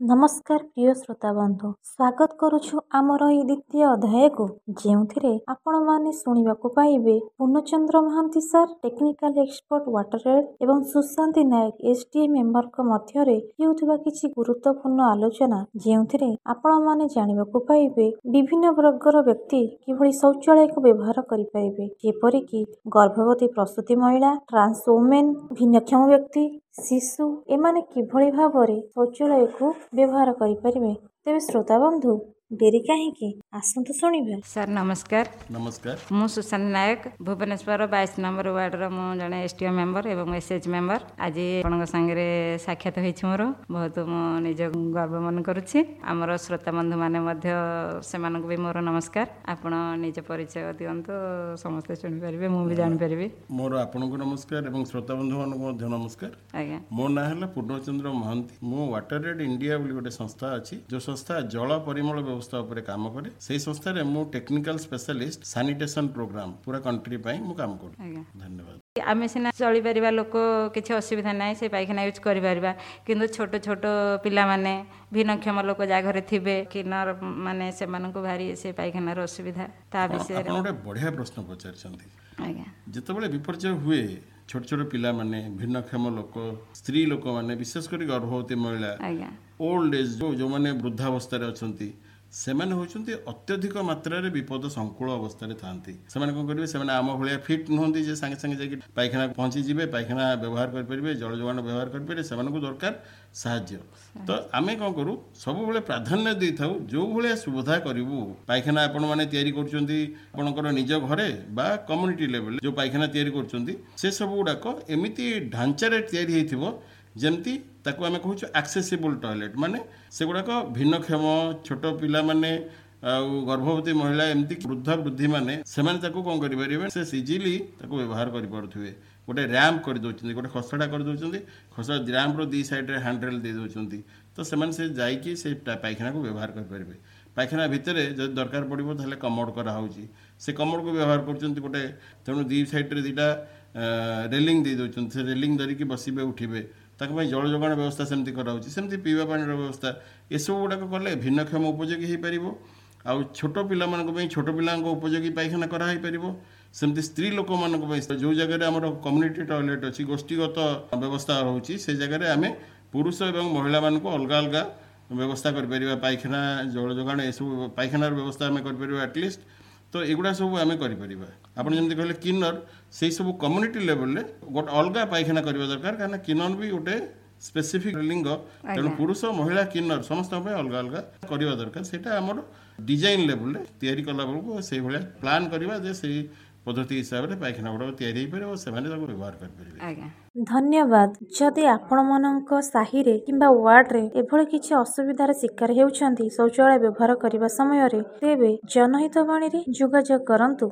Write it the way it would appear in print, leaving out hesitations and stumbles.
ନମସ୍କାର ପ୍ରିୟ ଶ୍ରୋତା ବନ୍ଧୁ, ସ୍ୱାଗତ କରୁଛୁ ଆମର ଏହି ଦ୍ୱିତୀୟ ଅଧ୍ୟାୟକୁ, ଯେଉଁଥିରେ ଆପଣମାନେ ଶୁଣିବାକୁ ପାଇବେ Purnachandra Mohanty sir, technical expert water aid, ଏବଂ Sushanti Nayak, S D A ମେମ୍ବରଙ୍କ ମଧ୍ୟରେ ହେଉଥିବା କିଛି ଗୁରୁତ୍ୱପୂର୍ଣ୍ଣ ଆଲୋଚନା, ଯେଉଁଥିରେ ଆପଣମାନେ ଜାଣିବାକୁ ପାଇବେ ବିଭିନ୍ନ ବର୍ଗର ବ୍ୟକ୍ତି କିଭଳି ଶୌଚାଳୟକୁ ବ୍ୟବହାର କରିପାରିବେ, ଯେପରିକି ଗର୍ଭବତୀ ପ୍ରସୂତି ମହିଳା, ଟ୍ରାନ୍ସ ଓମେନ୍, ଭିନ୍ନକ୍ଷମ ବ୍ୟକ୍ତି, ଶିଶୁ, ଏମାନେ କିଭଳି ଭାବରେ ଶୌଚାଳୟକୁ ବ୍ୟବହାର କରିପାରିବେ। ତେବେ ଶ୍ରୋତା ବନ୍ଧୁ, ଡେରି କାହିଁକି, ଆସନ୍ତୁ ଶୁଣିବା। ସାର୍ ନମସ୍କାର। ନମସ୍କାର। ମୁଁ ସୁଶାନ୍ତ ନାୟକ, ଭୁବନେଶ୍ୱର 22 ନମ୍ବର ୱାର୍ଡ଼ର ମୁଁ ଜଣେ ଏସ୍ ଟି ଓ ମେମ୍ବର ଏବଂ ଏସ୍ ଏଚ୍ ମେମ୍ବର। ଆଜି ଆପଣଙ୍କ ସାଙ୍ଗରେ ସାକ୍ଷାତ ହୋଇଛି ମୋର, ବହୁତ ମୁଁ ନିଜକୁ ଗର୍ବ ମନେ କରୁଛି। ଆମର ଶ୍ରୋତା ବନ୍ଧୁମାନେ ମଧ୍ୟ, ସେମାନଙ୍କୁ ବି ମୋର ନମସ୍କାର। ଆପଣ ନିଜ ପରିଚୟ ଦିଅନ୍ତୁ, ସମସ୍ତେ ଶୁଣିପାରିବେ, ମୁଁ ବି ଜାଣିପାରିବି। ମୋର ଆପଣଙ୍କୁ ନମସ୍କାର ଏବଂ ଶ୍ରୋତା ବନ୍ଧୁମାନଙ୍କୁ ମଧ୍ୟ ନମସ୍କାର। ଆଜ୍ଞା। ମୋ ନାଁ ହେଲା ପୂର୍ଣ୍ଣଚନ୍ଦ୍ର ମହାନ୍ତି। ମୁଁ ୱାଟର ଏଡ୍ ଇଣ୍ଡିଆ ବୋଲି ଗୋଟେ ସଂସ୍ଥା ଅଛି, ଯେଉଁ ସଂସ୍ଥା ଜଳ ପରିମଳ ବ୍ୟବସ୍ଥା ଉପରେ କାମ କରେ। ସେଇ ସଂସ୍ଥାରେ ମୁଁ ଟେକ୍ନିକାଲ ସ୍ପେଶାଲିଷ୍ଟ ସାନିଟେସନ ପ୍ରୋଗ୍ରାମ ପୁରା କଣ୍ଟ୍ରି ପାଇଁ ମୁଁ କାମ କରୁଛି। ଆଜ୍ଞା। ଧନ୍ୟବାଦ। ଆମେ ସିନା ଚଳିପାରିବା ଲୋକ, କିଛି ଅସୁବିଧା ନାହିଁ, ସେ ପାଇଖାନା ୟୁଜ୍ କରିପାରିବା, କିନ୍ତୁ ଛୋଟ ଛୋଟ ପିଲାମାନେ, ଭିନ୍ନକ୍ଷମ ଲୋକ ଯାହା ଘରେ ଥିବେ, କିନ୍ନର ମାନେ, ସେମାନଙ୍କୁ ଭାରି ସେ ପାଇଖାନାର ଅସୁବିଧା, ତା ବିଷୟରେ ଆପଣ ଗୋଟେ ବଢ଼ିଆ ପ୍ରଶ୍ନ ପଚାରିଛନ୍ତି। ଆଜ୍ଞା। ଯେତେବେଳେ ବିପର୍ଯ୍ୟୟ ହୁଏ, ଛୋଟ ଛୋଟ ପିଲାମାନେ, ଭିନ୍ନକ୍ଷମ ଲୋକ, ସ୍ତ୍ରୀ ଲୋକମାନେ, ବିଶେଷ କରି ଗର୍ଭବତୀ ମହିଳା, ଆଜ୍ଞା, ଓଲ୍ଡ ଏଜ୍, ଯେଉଁମାନେ ବୃଦ୍ଧାବସ୍ଥାରେ ଅଛନ୍ତି, ସେମାନେ ହେଉଛନ୍ତି ଅତ୍ୟଧିକ ମାତ୍ରାରେ ବିପଦ ସଂକୁଳ ଅବସ୍ଥାରେ ଥାନ୍ତି। ସେମାନେ କ'ଣ କରିବେ? ସେମାନେ ଆମ ଭଳିଆ ଫିଟ୍ ନୁହନ୍ତି ଯେ ସାଙ୍ଗେ ସାଙ୍ଗେ ଯାଇକି ପାଇଖାନା ପହଞ୍ଚିଯିବେ, ପାଇଖାନା ବ୍ୟବହାର କରିପାରିବେ, ଜଳ ଯୋଗାଣ ବ୍ୟବହାର କରିପାରିବେ। ସେମାନଙ୍କୁ ଦରକାର ସାହାଯ୍ୟ। ତ ଆମେ କ'ଣ କରୁ? ସବୁବେଳେ ପ୍ରାଧାନ୍ୟ ଦେଇଥାଉ ଯେଉଁ ଭଳିଆ ସୁବିଧା କରିବୁ। ପାଇଖାନା ଆପଣମାନେ ତିଆରି କରୁଛନ୍ତି ଆପଣଙ୍କର ନିଜ ଘରେ ବା କମ୍ୟୁନିଟି ଲେଭେଲରେ ଯେଉଁ ପାଇଖାନା ତିଆରି କରୁଛନ୍ତି, ସେ ସବୁ ଗୁଡ଼ାକ ଏମିତି ଢାଞ୍ଚାରେ ତିଆରି ହେଇଥିବ ଯେମିତି ତାକୁ ଆମେ କହୁଛୁ ଆକ୍ସେସିବୁଲ୍ ଟଏଲେଟ୍, ମାନେ ସେଗୁଡ଼ାକ ଭିନ୍ନକ୍ଷମ, ଛୋଟ ପିଲାମାନେ ଆଉ ଗର୍ଭବତୀ ମହିଳା, ଏମିତି ବୃଦ୍ଧ ବୃଦ୍ଧିମାନେ, ସେମାନେ ତାକୁ କ'ଣ କରିପାରିବେ? ସେ ଇଜିଲି ତାକୁ ବ୍ୟବହାର କରିପାରୁଥିବେ। ଗୋଟେ ର୍ୟାମ୍ପ କରିଦେଉଛନ୍ତି, ଗୋଟେ ଖସଡ଼ା କରିଦେଉଛନ୍ତି, ଖସଡ଼ା ର୍ୟାମ୍ପର ଦୁଇ ସାଇଡ଼୍ରେ ହ୍ୟାଣ୍ଡରେଲ୍ ଦେଇ ଦେଉଛନ୍ତି, ତ ସେମାନେ ସେ ଯାଇକି ସେ ପାଇଖାନାକୁ ବ୍ୟବହାର କରିପାରିବେ। ପାଇଖାନା ଭିତରେ ଯଦି ଦରକାର ପଡ଼ିବ ତାହେଲେ କମୋଡ଼ କରାହେଉଛି, ସେ କମୋଡ଼କୁ ବ୍ୟବହାର କରୁଛନ୍ତି ଗୋଟେ। ତେଣୁ ଦୁଇ ସାଇଡ଼୍ରେ ଦୁଇଟା ରେଲିଂ ଦେଇ ଦେଉଛନ୍ତି, ସେ ରେଲିଂ ଧରିକି ବସିବେ, ଉଠିବେ। ତାଙ୍କ ପାଇଁ ଜଳ ଯୋଗାଣ ବ୍ୟବସ୍ଥା ସେମିତି କରାହେଉଛି, ସେମିତି ପିଇବା ପାଣିର ବ୍ୟବସ୍ଥା। ଏସବୁ ଗୁଡ଼ାକ କଲେ ଭିନ୍ନକ୍ଷମ ଉପଯୋଗୀ ହେଇପାରିବ, ଆଉ ଛୋଟ ପିଲାମାନଙ୍କ ପାଇଁ ଛୋଟ ପିଲାଙ୍କ ଉପଯୋଗୀ ପାଇଖାନା କରାହେଇପାରିବ। ସେମିତି ସ୍ତ୍ରୀ ଲୋକମାନଙ୍କ ପାଇଁ ଯେଉଁ ଜାଗାରେ ଆମର କମ୍ୟୁନିଟି ଟଏଲେଟ୍ ଅଛି, ଗୋଷ୍ଠୀଗତ ବ୍ୟବସ୍ଥା ରହୁଛି, ସେ ଜାଗାରେ ଆମେ ପୁରୁଷ ଏବଂ ମହିଳାମାନଙ୍କୁ ଅଲଗା ଅଲଗା ବ୍ୟବସ୍ଥା କରିପାରିବା। ପାଇଖାନା, ଜଳ ଯୋଗାଣ, ଏସବୁ ପାଇଖାନାର ବ୍ୟବସ୍ଥା ଆମେ କରିପାରିବା ଆଟଲିଷ୍ଟ। ତ ଏଗୁଡ଼ା ସବୁ ଆମେ କରିପାରିବା। ଆପଣ ଯେମିତି କହିଲେ କିନ୍ନର, ସେଇ ସବୁ କମ୍ୟୁନିଟି ଲେଭେଲରେ ଗୋଟେ ଅଲଗା ପାଇଖାନା କରିବା ଦରକାର, କାହିଁକିନା କିନ୍ନର ବି ଗୋଟେ ସ୍ପେସିଫିକ୍ ଲିଙ୍ଗ। ତେଣୁ ପୁରୁଷ, ମହିଳା, କିନ୍ନର ସମସ୍ତଙ୍କ ପାଇଁ ଅଲଗା ଅଲଗା କରିବା ଦରକାର। ସେଇଟା ଆମର ଡିଜାଇନ୍ ଲେଭେଲରେ ତିଆରି କଲା ବେଳକୁ ସେଇଭଳିଆ ପ୍ଲାନ୍ କରିବା ଯେ ସେଇ ପଦ୍ଧତି ହିସାବରେ ପାଇଖାନା ଗୁଡ଼ାକ ତିଆରି ହେଇପାରିବ, ସେମାନେ ତାକୁ ବ୍ୟବହାର କରିପାରିବେ। ଆଜ୍ଞା। ଧନ୍ୟବାଦ। ଯଦି ଆପଣମାନଙ୍କ ସାହିରେ କିମ୍ବା ୱାର୍ଡ଼ରେ ଏଭଳି କିଛି ଅସୁବିଧାର ଶିକାର ହେଉଛନ୍ତି ଶୌଚାଳୟ ବ୍ୟବହାର କରିବା ସମୟରେ, ତେବେ ଜନହିତବାଣୀରେ ଯୋଗାଯୋଗ କରନ୍ତୁ।